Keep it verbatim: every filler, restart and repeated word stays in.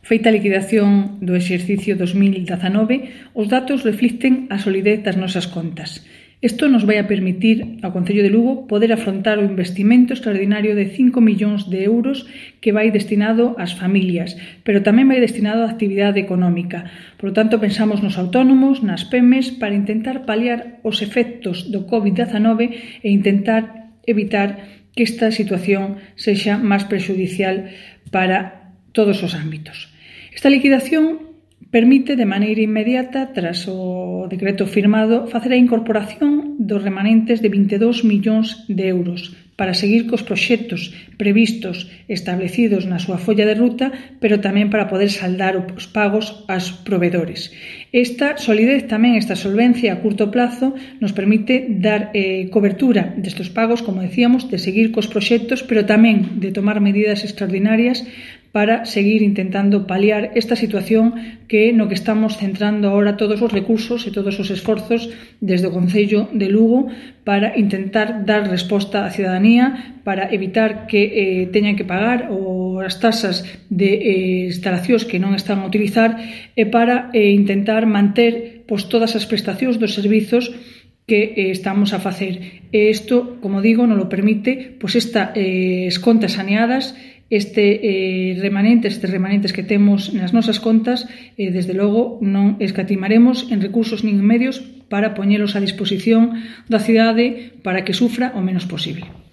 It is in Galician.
Feita a liquidación do exercicio dos mil dezanove, os datos reflicten a solidez das nosas contas. Isto nos vai a permitir ao Concello de Lugo poder afrontar o investimento extraordinario de cinco millóns de euros que vai destinado ás familias, pero tamén vai destinado á actividade económica. Por lo tanto, pensamos nos autónomos, nas pemes, para intentar paliar os efectos do covid dezanove e intentar evitar que esta situación sexa máis prexudicial para todos os ámbitos. Esta liquidación permite de maneira inmediata, tras o decreto firmado, facer a incorporación dos remanentes de vinte e dous millóns de euros para seguir cos proxectos previstos establecidos na súa folla de ruta, pero tamén para poder saldar os pagos aos provedores. Esta solidez tamén, esta solvencia a curto plazo, nos permite dar eh, cobertura destes pagos, como decíamos, de seguir cos proxectos, pero tamén de tomar medidas extraordinarias para seguir intentando paliar esta situación que no que estamos centrando ahora todos os recursos e todos os esforzos desde o Concello de Lugo para intentar dar resposta á cidadanía, para evitar que eh, teñan que pagar ou as tasas de eh, instalacións que non están a utilizar e para eh, intentar manter pois, todas as prestacións dos servizos que eh, estamos a facer. E isto, como digo, non lo permite pois esta eh, contas saneadas, este eh, remanentes, estes remanentes que temos nas nosas contas, eh, desde logo non escatimaremos en recursos nin en medios para poñelos a disposición da cidade para que sufra o menos posible.